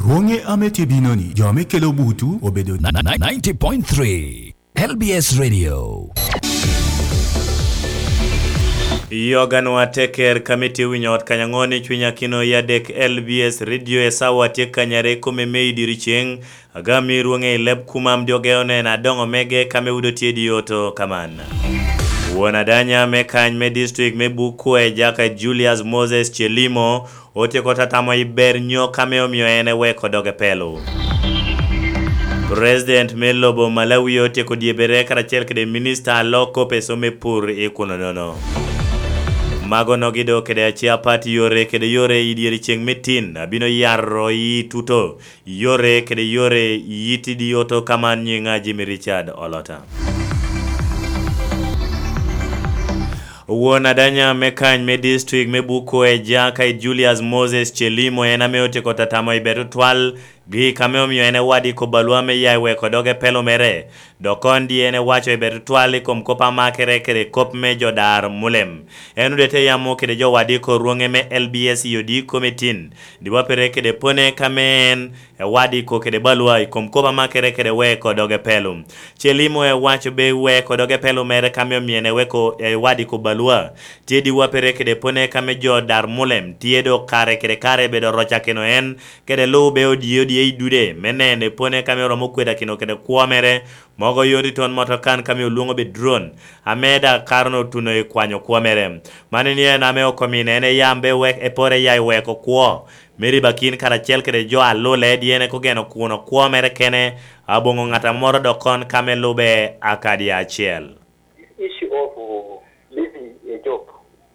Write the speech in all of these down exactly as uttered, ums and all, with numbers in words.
Rwoŋe ame tye bino-ni, jo ame kelo butu obedo ninety point three L B S Radio. Yoganwa teker kami tye winyo ot kanyaŋo ni cwiny akino i adek L B S Radio e sawa tye kanyare kome me i diri ceŋ. Agami rwoŋe i leb kumam dyoge oneno adoŋo mege kame wudo tye di oto kaman. Won adanya me kany me district me Buku e Jaka Julius Moses Chelimo otyeko tatamo i ber nyo kame omio en eweko doge pelo. President me lobo Malawi otyeko dyebere karacel kede minista a loko peso me pur i kuno nono. Mago nogi do kede aci apat yore kede yore i dyere ceŋ me tin abino yaro i tuto yore kede yore yiti di oto kaman nyiŋa Jimmy Richard Olota. Won adanya me kany me district me Buko e Jaka i Julius Moses Chelimo en ame otyeko tatamo i bedo twal gi kame omio en ewadi ko balwa me ya i weko doge pelo mere. Dok kon di en ewaco i bedo twal i kom kop amakere kede kop me jo dar mulem. En odete yamo kede jo wadi ko rwoŋe me L B S i odi komitin. Di wapere kede pone kame en ewadi ko kede balwa i kom kop amakere kede weko doge pelo. Chelimo ewaco be weko doge pelo mere kame omyene weko ewadi ko balwa. Tye di wapere kede pone kame jo dar mulem tye do kare kede kare bedo roca keno en kede lu be odie odie i dude me nene pone kame oromo kweda keno kede kwo mere. Mogo yot i ton motokan kame olwoŋo be drone ame da karono otuno i kwanyo kwo mere. Mani ni en ame okomine en eyam be wek epore ya i weko kwo. Mary Bakin karacel kede jo a lule dyene kogeno kuno kwo mere kene aboŋo ŋat amoro dok kon ka me lube akadi acel. This issue of uh, leaving a job,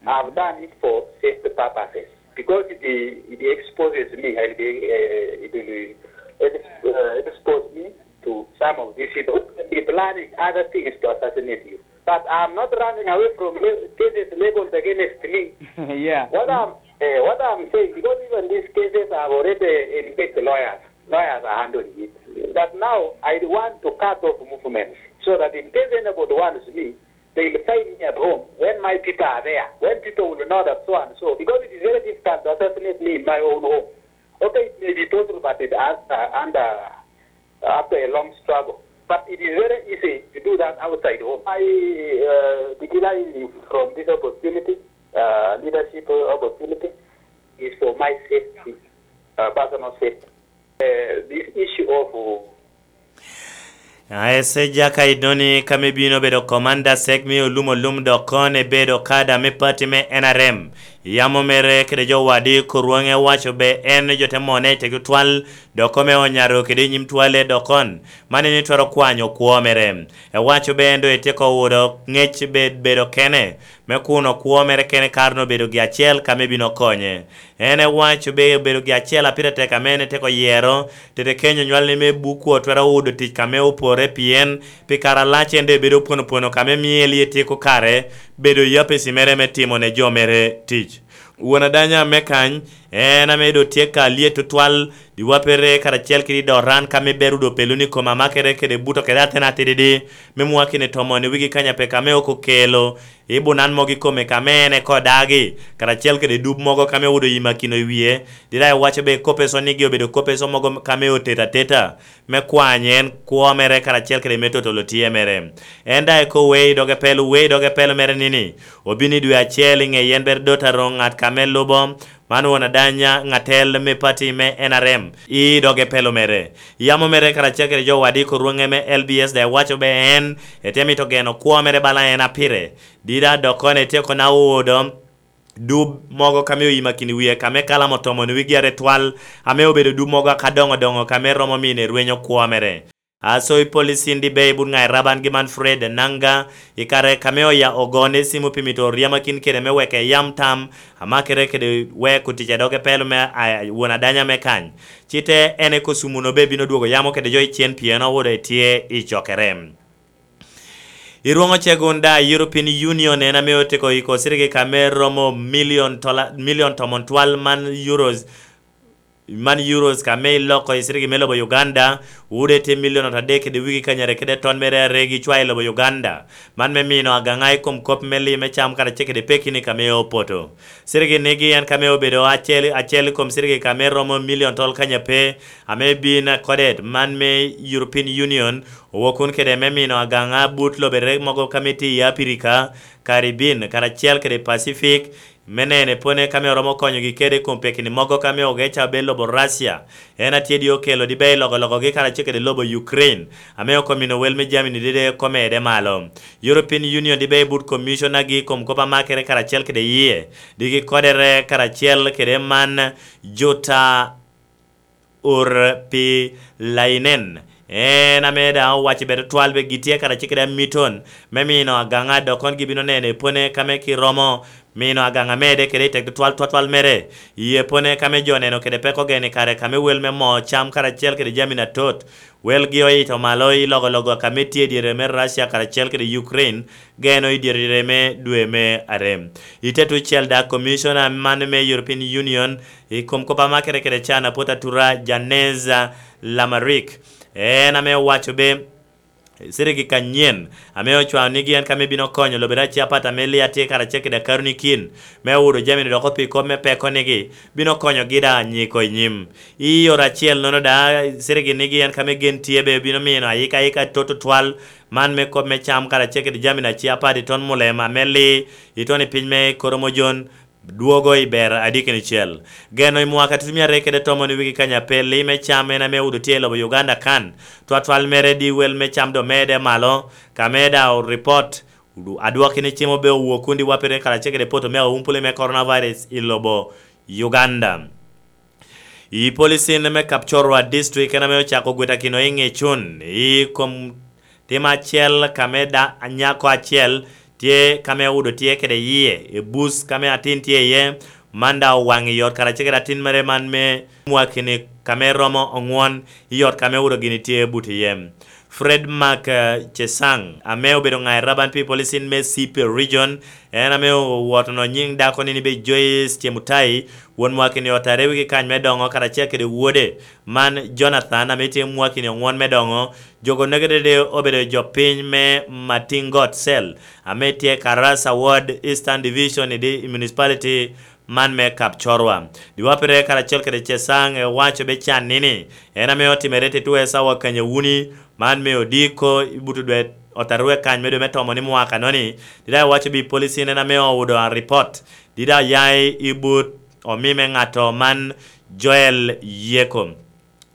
I've done it for safety purposes because it, it exposes me, it, uh, it will uh, expose me to some of these people who can be planning other things to assassinate you. But I'm not running away from le- cases leveled against me. Yeah. What I'm uh, what I'm saying, because even these cases have already engaged lawyers. Lawyers are handling it. But now I want to cut off movements so that in case anybody wants me, they will find me at home when my people are there. When people will know that so and so, because it is very difficult to assassinate me in my own home. Okay, it may be possible, but it has uh, under after a long struggle. But it is very easy to do that outside home. I uh, decline from this opportunity, uh, leadership opportunity, is for my safety, uh, personal safety. Uh, this issue of uh, Aese jaka idoni kame bino bedo komanda sek me olum olum dok kon ebedo kada me pati me N R M. Yamo mere kede jo wadi Korwonge owaco be en jo te mone i tegi twal dok kome onyaro kede i nyim twale dok kon man en itwero kwanyo kwo mere. Ewaco be en do etyeko wudo ngec be bedo kene me kuno kwo mere kene kare no bedo gi acel kame bino konye. En ewaco be obedo gi acel a pire tek ame en etyeko yero tete kenyo nywalne me bukku otwero wudo tic kame opore pien pi kare alac en do ebedo opwono pwono kame mie lye tyeko kare bedo i apesi mere me timo ne jo mere tic. Won adanya me kany en ame do tye ka lyet tutwal diwapere karacel kede i doran ka me berudo pelo ni koma makere kede buto kede atena atididi me mwakine tomoni wigi kanya pe kame oko kelo i bunan mogo ikome kame en eko dagi karacel kede dub mogo kame owodo yimakino i wie dira iwaco be kopeso nigi obedo kopeso mogo kame otet ateta me kwany en kwo mere karacel kede me totolo tye mere. En daŋ eko wee i doge pelo wee i doge pelo mere nini obino i dwe acel i ŋe yen ber dot aroŋ ŋat kame lubo man won adanya ŋatel me pati me N R M i doge pelo mere. Yamo mere karacel kede jo wadi korwoŋe me L B S daŋ ewaco be en ete mito geno kwo mere bala en apire dira dok kono etyeko na odo dub mogo kame oyimakini wie kame kalamo tomoni wigi are twal ame obedo dub mogo aka doŋo doŋo kame romo mine rwenyo kwo mere. Aso i polisi ndi be i but ŋa i raban gi man Fred Nanga i kare kame oya ogone simu pi mito ryamakin kede me weke yam tam amakere kede weko tic a doge pelo me a- won adanya me kany. Cite en eko sumuno be bino dwogo yamo kede jo i cen pien owodo etye i cokere. I rwoŋo cegun da European Union en ame otiko iko sirigi kame romo million tola, million tomon twal man euros man euros ka me iloko i cirigi me lobo Uganda, wude tye milion adek kede wigi kanyare kede ton mere are gi cwa i lobo Uganda. Man me mino agaŋa i kom kop me li me cam karacel kede pekini ka me opoto. Cirigi nigi en ka me obedo acel, acel i kom cirigi ka me romo milion tol kanyape, ame bin akodet man me European Union owo kun kede me mino agaŋa but lobere mogo ka me tye i Apirika, Caribbean, karacel kede Pacific, me nene pone ka me oromo konyogi kede i kom pekini mogo ka me ogeca obedo lobo Russia. En atye di okelo di be i logologogi karacel kede lobo Ukraine, ame okomino wel me jamini dede komede malo. European Union di be i but commissioner gi i kom kop amakere karacel kede yie, di gi kodere karacel kede man Jutta Urpilainen. En ame daŋ owaco bed otwal be gitye karacel kede amiton me mino agaŋa dok kon gibino neno epone ka me ki romo mino agaŋa mede kede i tek tutwal twatwal mere. Ye pone ka me jo neno kede peko geni kare ka me wel me moo cam karacel kede jami na tot. Welgi oito malo i logologo ka me tye i dyere me Russia karacel kede Ukraine, geno i dyere me dwe me are. I te tucel da, Commissioner man me European Union i kom kop amakere kede can apot atura Janeza Lamarik, en ame owaco be cirigi kanyen ame ocwao nigi en ka me bino konyo lobere aciapat ame lia tye karacel kede akaruni kin me wudo jamini doko pi kop me peko nigi bino konyogi da nyiko i nyim. I oro acel nono da, cirigi nigi en ka me gen tye be bino mino ayika ayika toto twal man me kop me cam karacel kede jamini aciapat i ton mulema me li i ton i piny me Koromojon dwogo i ber adikini cel. Geno i mwaka tutumia aryo kede tomon i wigi kanya pe li me cam en ame wudo tye i lobo Uganda kan twatwal mere di wel me cam do mede malo ka me da ripot adwokki ni cem obe owuo kun di wapere karacel kede poto me aumpule me coronavirus i lobo Uganda. I policin me Kapchorwa District en ame ocako gwitakino i ŋecun i kom tim acel ka me da nyako acel tye ka me wudo tye kede yie i bus ka me atin tye iye, man da owaŋ i ot karacel kede atin mere man me mwakini ka me romo oŋwon i ot ka me wudo gini tye but iye. Fred Mark eh, Chesang ame obedo ŋa i Raban People Sin me Sipe Region, en ame owotono nyiŋ dako nini be Joyce Chemutai, won mwakini ot are wigi kany me doŋo karacel kede wode man Jonathan ame tye mwakini oŋwon me doŋo. Jogo negedede obedo jo piny me Matingot Cell ame tye Karasa Ward, Eastern Division i di- i Municipality man me Kapchorwa. Diwapere karacel kede Cesang ewaco be can nini en ame otimere titwe sawa kanyawuni man me odiko i buto dwe otarwe kany me dwe me tomo ni mwaka noni. Dida ewaco bi policin en ame owudo a report. Dida ya i but omime ŋato man Joel Yeko.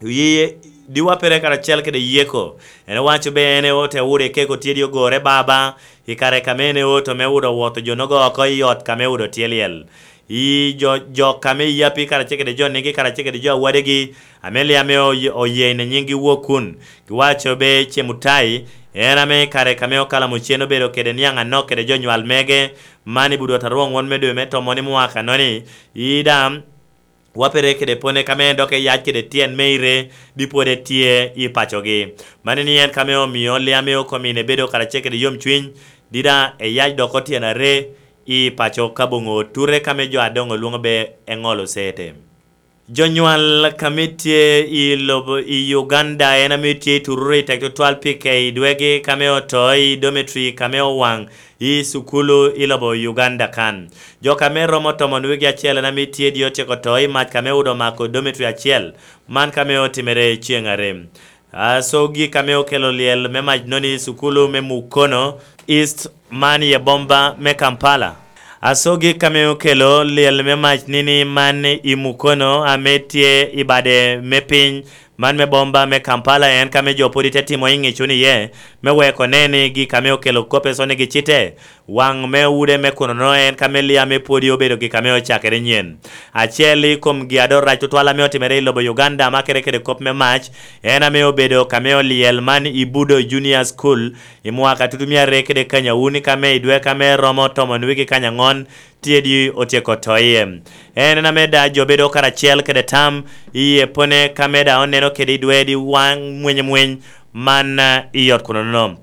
Yi diwapere karacel kede Yeko. En owaco be en eote wudo ekeko tyedi ogore baba i kare ka me en eoto me wudo owoto jo nogo oko i ot ka me wudo tye lyel. I jo, jo ka me yapi karacel kede jo nigi karacel kede jo awadegi ame li ame oye- oye ine nyinggi wok kun. Giwaco be Cemutai en ame i kare ka me okala mucen obedo kede niaŋ anok kede jo nywal mege man i budwot arwoŋ won me dwe me tomon i mwaka noni. I dam wapere kede pone ka me en dok eyac kede tyen me ire di pwod etye i pacogi. Mani ni en ka me omio liame okomine bedo karacel kede yomcwiny, dida eyac doko tyen are i paco kaboŋo oture ka me jo adoŋo lwoŋo be eŋolo sete. Jonywal ka me tye i lobo i Uganda en ame tye i tururu i tek tutwal pi kei dwegi ka me oto i dometri ka me owaŋ i sukulu i lobo Uganda kan. Jo ka me romo tomon wigi acel en ame tye di otyeko to i mac ka me udo mako dometri acel man ka me otimere ceŋ are. Asogi ka me okelo lyel me mac noni i sukulu me Mukono East man i abomba me Kampala. Asogi ka me okelo lyel me mac nini man i Mukono ame tye i bade me piny man me bomba me Kampala en ka me jo pwod ite timo i ŋicun iye me weko ne ni gik ame okelo kope soni gicite. Waŋ me wude me kuno-no en ka me lia me pwodi obedo gik ame ocakere nyen. Acel i kom gi ado rac tutwal ame otimere i lobo Uganda makere kede kop me mac en ame obedo ka me olyel man i Budo Junior School i mwaka tutumia aryo kede kanya wuni ka me i dwe ka me romo tomon wiki kanya ŋon tye di otyeko to iye. En en ame da jo bedo karacel kede tam i epone ka me da oneno kede i dwe di waŋ mwenyemweny man i ot kuno-no.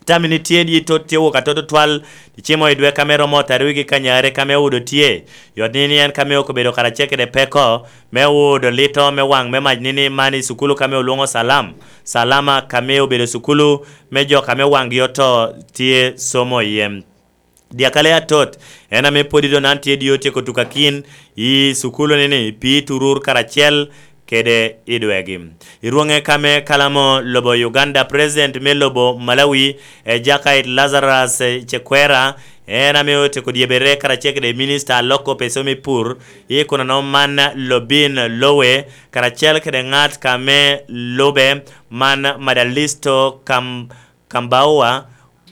Tamini tye di tot tye wok atot otwal, icimo i dwe kame romo otarwigi kanyare kame odo tye. Yot ni ni en kame okobedo karacel kede peko me odo lito me waŋ me mac ni ni man i sukulu kame olwoŋo Salam. Salama kame obedo sukulu me jo kame waŋgi oto tye somo iye. Dyakale atot, en ame pwod i donan tye di otyeko tukakin i sukulu ni ni pi turur karacel kede i dwegi. I rwoŋe kame kalamo lobo Uganda, President me lobo Malawi, Ejakait Lazarus Chekwera, en ame otyeko dyebere karacel kede minista a loko peso me pur, i kunano man Lobin Lowe, karacel kede ŋat kame lube man Madalisto Kam Kambaua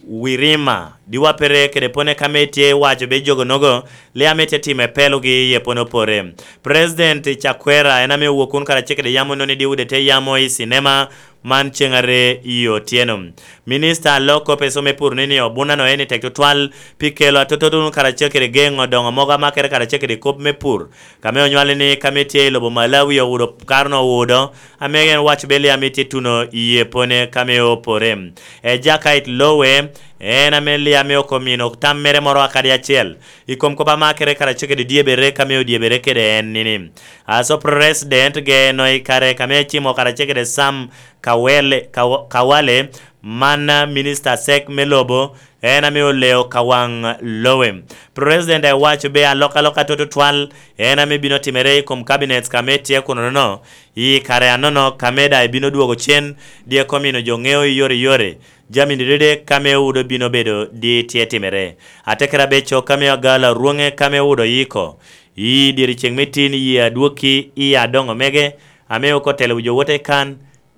Wirima, diwapere kede pone kame tye waco be jogo nogo, le ame tye time pelogi ye pone opore. President Chakwera en ame owok kun karacel kede yamo noni diwude te yamo i cinema man ceng are i otyeno. Minista a loko peso me pur ni ni obunano en i tek tutwal pi kelo atotodun karacel kede geŋo doŋo mogo amakere karacel kede kop me pur. Kame onywale ni kame tye i lobo Malawi owudo karo no owudo, ame en waco be Liam itye tuno i yepone kame opore. Ejakait Lowe, en ame Liam okomino tam mere moro akadi acel. I kom kop amakere karacel kede dyebere kame odyebere kede en nini. Aso President geno i kare kame cimo karacel kede Sam Kawele, Kawa- Kawale, man minista sek me lobo, en ame oleo ka waŋ lowe. President ewaco be alokaloka toto twal en ame bino timere i kom cabinets kame tye kuno nono. I kare anono kame da ebino dwogo cen, dyeko mino jo ŋeo i yore yore. Jami ni dede kame owudo bino bedo di tye timere. Atekera beco kame agalo arwoŋe kame owudo yiko. I dyeri ceŋ me tin yi adwokki i adoŋo mege, ame oko telo wi jo wote kan,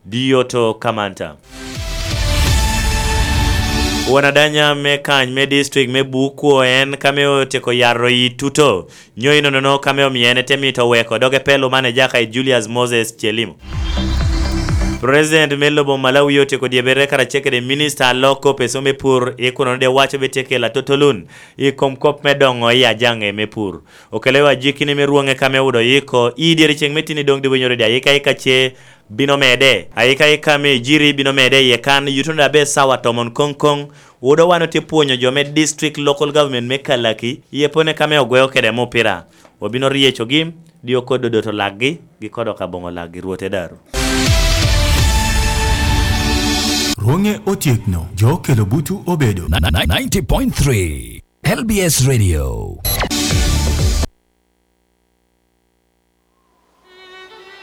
Dioto Kamanta. Won adanya me kany me district me Bukwo en kame otyeko yaro i tuto, nyo inonono kame omio en ete mito weko doge pelo man ejaka i Julius Moses Chelimo. President me lobo Malawi otyeko dyebere karacel kede minista a loko peso me pur i kuno de waco be tye kela totolun i kom kop me doŋo i ajaŋe me pur. Okelo wa jikini me rwoŋe kame wudo yiko i dyere ceŋ me tini doŋ diwinyoro di ayika ika ce bino mede. Ayika ika me ejiri bino mede iye kan yuto da be sawa tomon koŋ koŋ. Wudo wan otye pwonyo jo me district local government me Kalaki iye pone kame ogweo kede mupira. Wabino ryecogi, dio kod dodoto lakgi, gi kodok aboŋo lakgi rwote daru. Rwoŋe otyekno, jo okelo butu obedo. Ninety point three L B S Radio.